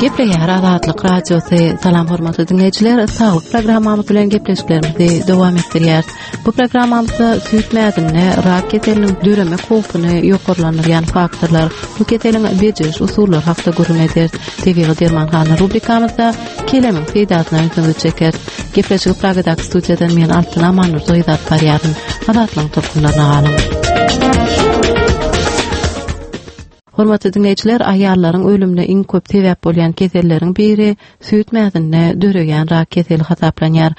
Gepleýär Azatlyk Radiosy. Salam hormatly diňleýjiler, saglyk programmamyz bilen gepleşiklerimizi dowam etdirýäris. Bu programmamyzda süýt mäzinde rak keseliniň döremek howpuny ýokarlandyrýan faktorlar, bu keseliň bejeriş usullary hakda gürrüň ederis. Tebigy dermanhana rubrikamyzda kelemiň peýdasyna ünsüňizi çekeris. Gepleşigi Pragadaky studiýadan men Altyn Amandurdy gyz alyp barýaryn. Azatlygyň tolkunlaryna galyň. Hormatly diňleýjiler, aýallaryň ölümine iň köp sebäp bolýan keselleriň biri süýt mäzinde döreýän rak keseli hasaplanýar.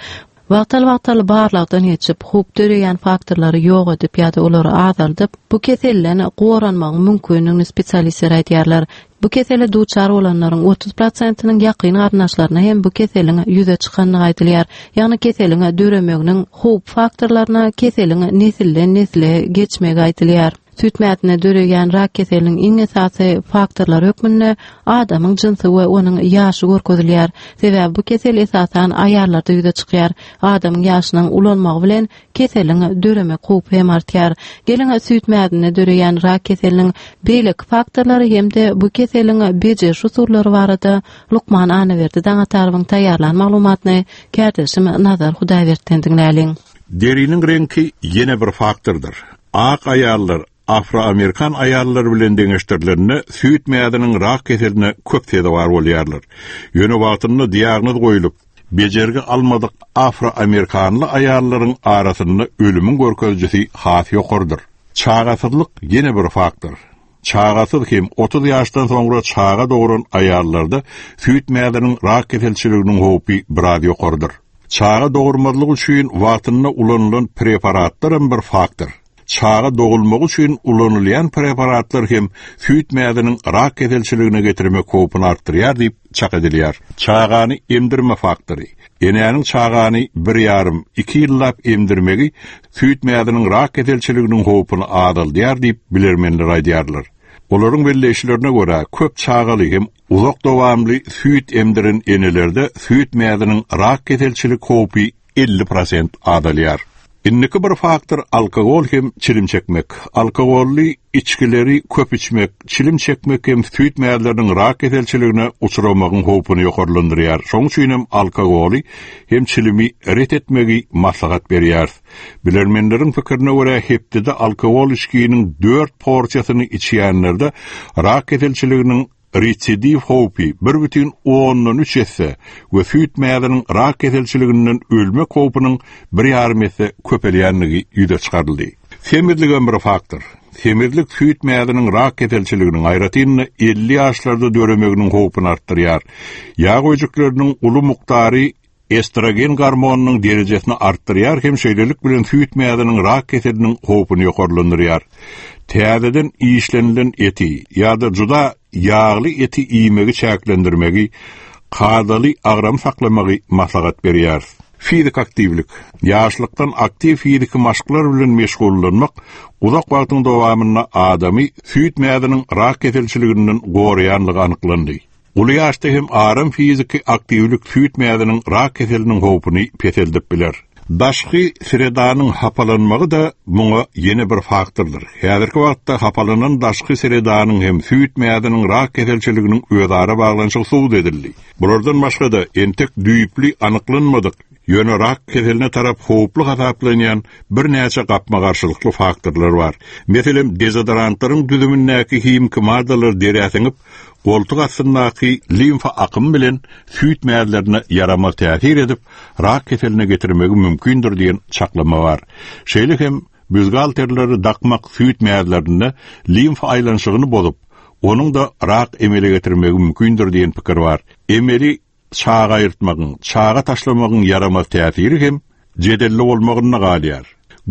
Wagtal-wagtal barlagdan geçip, howp döreýän faktorlary ýok edip ýa-da olary azaldyp, bu keselden goranmagyň mümkindigini spesialistler aýdýarlar. Bu kesele duçar bolanlaryň 30 prosentiniň ýakyn garyndaşlaryna hem bu keseliň ýüze çykandygy aýdylýar. Ýagny keseliň döremeginiň howp faktorlaryna keseliň nesilden-nesle geçmegi aýdylýar. Süýt mäzinde döreýän rak keseliniň iň esasy faktorlary hökmünde adamyň jynsy we onuň ýaşy görkezilýär. Sebäbi bu kesel esasan aýallarda ýüze çykýar. Adamyň ýaşynyň ulalmagy bilen keseliň döremek howpy hem artýar. Geliň, süýt mäzinde döreýän rak keseliniň beýleki faktorlary hem-de bu keseliň bejeriş usullary barada lukman Annaberdi Daňatarowyň taýýarlan maglumatyny kärdeşim Nazar Hudaýbertden diňläliň. Deriniň reňki ýene bir faktordyr. Ak aýallar afroamerikan aýallary bilen deňeşdirilende süýt mäziniň rak keseline köp sezewar bolýarlar. Ýöne wagtynda diagnoz goýlup, bejergi almadyk afroamerikanly aýallaryň arasynda ölümiň görkezijisi has ýokarydyr. Çagasyzlyk ýene bir faktor. Çagasyz hem 30 ýaşdan soňra çaga dogran aýallarda süýt mäziniň rak keselçiliginiň howpy biraz ýokarydyr. Çaga dogurmazlyk üçin wagtynda ulanylan preparatlaram bir faktor. Çaga dogulmagy üçin ulanylýan preparatlar hem süýt mäziniň rak keselçiligine getirmek howpuny artdyrýar diýip çak edilýär. Çagany emdirme faktory. Enäniň çagany bir ýarym, iki ýyllap emdirmegi süýt mäziniň rak keselçiliginiň howpuny azaldýar diýip bilermenler aýdýarlar. Olaryň belleýişlerine görä, köp çagaly hem uzak dowamly süýt emdiren enelerde süýt mäziniň rak keselçilik howpy 50 prosent azalýar. Indiki bir faktor alkogol hem çilim çekmek. Alkogolly içgileri köp içmek, çilim çekmek hem süýt mäzleriniň rak keselçiligine uçramagyň howpuny ýokarlandyrýar. Şonuň üçin hem alkogoly hem çilimi ret etmegi maslahat berýäris. Bilermenleriň pikirine görä, hepdede alkogol içginiň dört porsiýasyny içýänlerde rak keselçiliginiň residiw howpy 1,3 esse we süýt mäziniň rak keselçiliginden ölmek howpunyň bir ýarym esse köpelýändigi ýüze çykaryldy. Semizligem bir faktor. Semizlik süýt mäziniň rak keselçiliginiň, aýratyn-da 50 ýaşlarda döremeginiň howpuny artdyrýar. Ýag öýjükleriniň uly mukdary estrogen gormonynyň derejesini artdyrýar hem şeýlelik bilen süýt mäziniň rak keseliniň howpuny ýokarlandyrýar. Täzeden işlenilen eti ýa-da juda ýagly eti iýmegi çäklendirmegi, kadaly agram saklamagy maslahat berýäris. Fiziki aktiwlik. Ýaşlykdan aktiw fiziki maşklar bilen meşgullanmak uzak wagtyň dowamynda adamy süýt mäziniň rak keselçiliginden goraýanlygy anyklandy. Uly ýaşda hem aram fiziki aktiwlik süýt mäziniň rak keseliniň howpuny peseldip biler. Daşky sredanyň hapalanmagy-da muňa ýene bir faktordyr. Häzirki wagtda hapalanan daşky sredanyň hem süýt mäziniň rak keselçiliginiň özara baglanyşygy subut edildi. Bulardan başga-da, entek düýpli anyklanmadyk, ýöne rak keseline tarap howply hasaplanýan birnäçe gapma-garşylykly faktorlar bar. Meselem, dezodorantlaryň düzümindäki himiki maddalar derä siňip, goltuk astyndaky limfa akymy bilen süýt mäzlerine ýaramaz täsir edip, rak keseline getirmegi mümkindir diýen çaklama bar. Şeýle hem býustgalterleri dakmak süýt mäzlerinde limfa aýlanyşygyny bozup, onuň-da rak emele getirmegi mümkindir diýen pikir bar. Emeli Çaga aýyrtmagyň, çaga taşlamagyň ýaramaz täsiri hem jedelli bolmagynda galýar.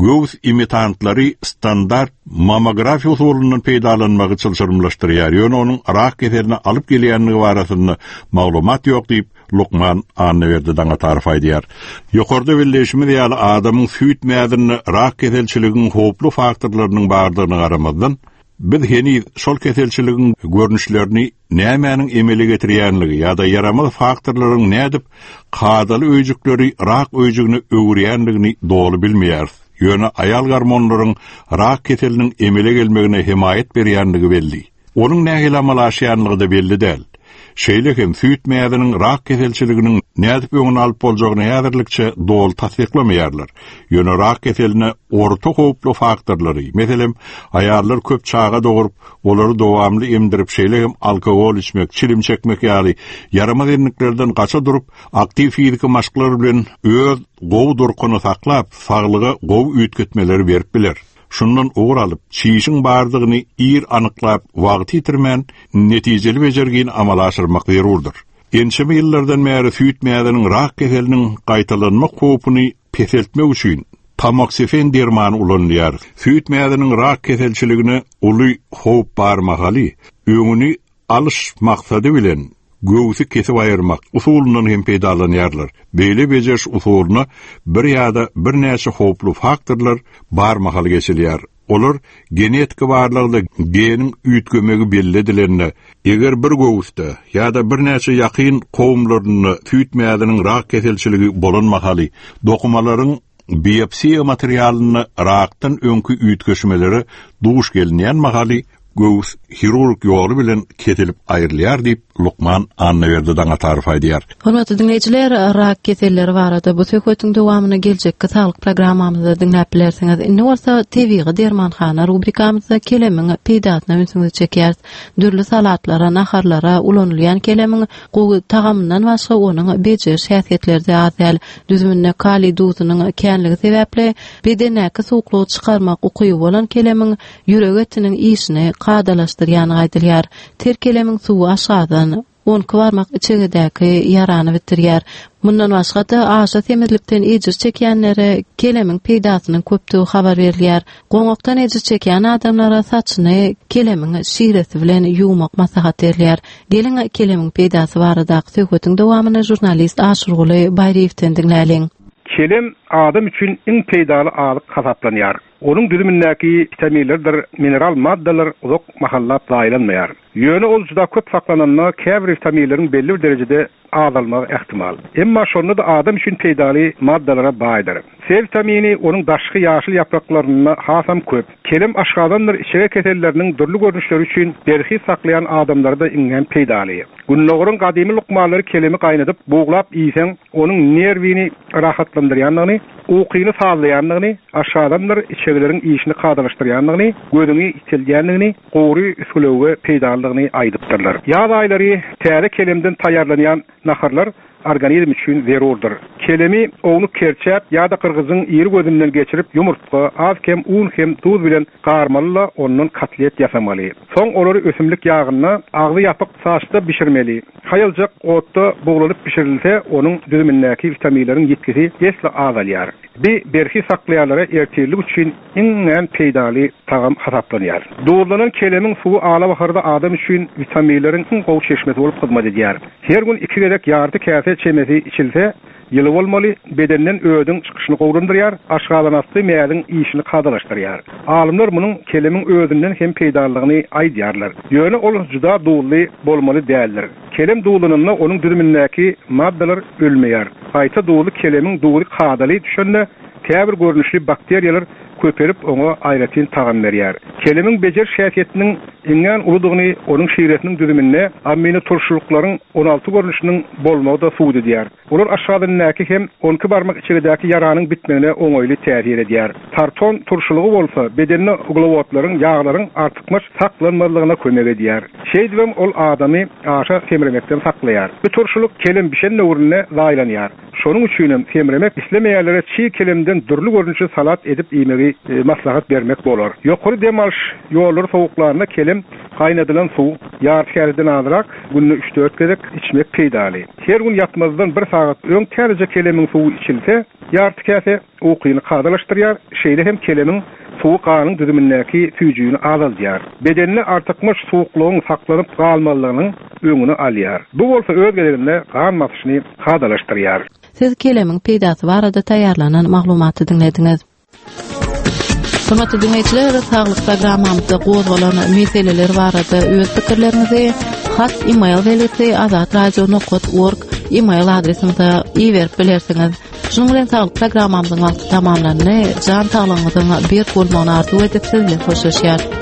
Göwüs imitantlary standart mammografiýa usulyndan peýdalanmagy çylşyrymlaşdyrýar, ýöne onuň rak keseline alyp gelýändigi barasynda maglumat ýok diýip, lukman Annaberdi Daňatarow aýdýar. Ýokarda belleýşimiz ýaly, adamyň süýt mäzinde rak keselçiligiň howply faktorlarynyň bardygyna garamazdan, Biz heniz şol keselçiligiň görnüşlerini nämäniň emele getirýänligi ýa-da ýaramaz faktorlaryň nädip kadaly öýjükleri rak öýjügine öwürýänligini doly bilmeýäris. Ýöne aýal gormonlaryň rak keseliniň emele gelmegine hemaýat berýänligi belli. Onuň nähili amala aşýanlygy-da belli däl. Şeýle hem süýt mäziniň rak keselçiliginiň nädip öňüni alyp boljagyny häzirlikçe doly tassyklamaýarlar. Ýöne rak keseline orta howply faktorlary, meselem, aýallar köp çaga dogrup, olary dowamly emdirip, şeýle hem alkogol içmek, çilim çekmek ýaly ýaramaz endiklerden gaça durup, aktiw fiziki maşklar bilen öz gowy durkuny saklap, saglyga gowy üýtgetmeleri berip biler. Şundan ugur alyp, çişiň bardygyny ir anyklap, wagty ýitirmän, netijeli bejergini amala aşyrmak zerurdyr. Ençeme ýyllardan bäri süýt mäziniň rak keseliniň gaýtalanmak howpuny peseltmek üçin tamoksifen dermany ulanylýar. Süýt mäziniň rak keselçiligine uly howp bar mahaly, öňüni alyş maksady bilen göwsi kesip aýyrmak usulyndan hem peýdalanýarlar. Beýle bejeriş usulyna bir ýa-da birnäçe howply faktorlar bar mahaly geçilýär. Olar genetiki barlagda geniň üýtgemegi belli edilende, eger bir göwüsde ýa-da birnäçe ýakyn kowumlarynda süýt mäziniň rak keselçiligi bolan mahaly dokumalaryň biopsiýa materialynda rakdan öňki üýtgeşmelere duş gelinýän mahaly göwüs hirurg ýoly bilen kesilip aýrylýar diýip, lukman Annaberdi Daňatarow aýdýar. Hormatly diňleýjiler, rak keselleri barada bu söhbetiň dowamyny geljekki saglyk programmamyzda diňläp bilersiňiz. Indi bolsa Tebigy dermanhana rubrikamyzda kelemiň peýdasyna ünsüňizi çekýäris. Dürli salatlara, naharlara ulanylýan kelemiň gowy tagamyndan başga onuň bejeriş häsiýetleri-de az däl. Düzüminde kaliý duzunyň känligi sebäpli bedendäki suwuklygy çykarmak ukyby bolan kelemiň ýürek etiniň işini kadalaşdyrýandygy aýdylýar. Ter kelemiň suwy aşgazan, onki barmak içegedäki ýarany bitirýär. Mundan başga-da, aşa semizlikden ejir çekýänlere kelemiň peýdasynyň köpdügi habar berilýär. Goňakdan ejir çekýän adamlara saçyny kelemiň şiresi bilen ýuwmak maslahat berilýär. Geliň, kelemiň peýdasy baradaky söhbetiň dowamyny žurnalist Aşyrguly Baýryýewden diňläliň. Kelem adam üçin iň peýdaly azyk hasaplanýar. Onuň düzümindäki witaminlerdir mineral maddalar uzak mahallap zaýalanmaýar. Ýöne ol juda köp saklananda käbir witaminleriň belli bir derejede azalmagy ähtimal. Emma şonda-da adam üçin peýdaly maddalara baýdyr. C witamini onuň daşky ýaşyl ýapraklarynda hasam köp. Kelem aşgazandyr içege keselleriniň dürli görnüşleri üçin berhiz saklaýan adamlara-da iňňän peýdaly. Gündogaryň gadymy lukmanlary kelemi gaýnadyp, buglap iýseň, onuň nerwini rahatlandyrýandygyny, ukyny sazlaýandygyny, aşgazandyr içegeleriň işini kadalaşdyrýandygyny, gözüňi ýiteldýändigini, gury üsgülewüge peýdalydygyny aýdypdyrlar. Ýaz aýlary täze kelemden taýýarlanýan naharlar organizm üçin zerurdyr. Kelemi ownuk kerçäp ýa-da gyrgyjyň iri gözünden geçirip ýumurtga, az-kem un hem duz bilen garmaly-da ondan kotlet ýasamaly. Soň olary ösümlik ýagynda, agzy ýapyk saçda bişirmeli. Haýaljak otda buglanyp bişirilse, onuň düzümindäki witaminleriň ýitgisi esli azalýar. Bi berhiz saklaýanlara ertirlik üçin iňňän peýdaly tagam hasaplanýar. Duzlanan kelemiň suwy alabaharda adam üçin witaminleriň iň gowy çeşmesi bolup hyzmat edýär. Her gün iki gezek ýarty käse çemesi içilse, ýyly bolmaly, bedenden ödüň çykyşyny gowulandyrýar, aşgazanasty mäziň işini kadalaşdyrýar. Alymlar munuň kelemiň özünden hem peýdalydygyny aýdýarlar. Ýöne ol juda duzly bolmaly däldir. Kelem duzlananda onuň düzümindäki maddalar ölmeýär. Gaýta duzly kelemiň duzy kadaly düşende käbir görnüşli bakteriýalar köpelip oňa aýratyn tagam berýär. Kelemiň bejeriş häsiýetiniň iňňän uludygyny onuň şiresiniň düzüminde aminoturşulyklaryň 16 görnüşiniň bolmagy-da subut edýär. Olar aşgazanyndaky hem onki barmak içegedäki ýaranyň bitmegine oňaýly täsir edýär. Tarton turşulygy bolsa bedende uglewodlaryň, ýaglaryň artykmaç saklanmazlygyna kömek edýär. Şeýdibem ol adamy aşa semremekden saklaýar. Bu turşulyk kelem bişen döwründe zaýalanýar. Şonuň üçinem semremek islemeýänlere çig kelemden dürli görnüşli salat edip iýmegi maslahat bermek bolar. Ýokary dem alyş ýollary sowuklanda kelem gaýnadylan suw, ýarty käseden azrak, günde üç-dört gezek içmek peýdaly. Her gün ýatmazdan bir sagat öň täzeje kelemiň suwy içilse, ýarty käse, ukyny kadalaşdyrýar, şeýle hem kelemiň suwy ganyň düzümindäki süýjüni azaldýar. Bedende artykmaç suwuklygyň saklanyp galmazlygynyň öňüni alýar. Bu bolsa öz gezeginde gan basyşyny kadalaşdyrýar. Siz kelemiň peýdasy barada taýýarlanan maglumaty diňlediňiz. Hormatly diňleýjiler, saglyk programmamyzda gozgalan meseleler barada öz pikirleriňizi hat e-mail belgisi azatradio.org e-mail adresimize iberip bilersiňiz. Şunuň bilen saglyk programmamyzyň wagty tamamlandy. Jan saglygyňyzyň berk bolmagyny arzuw edip siz bilen hoşlaşýarys.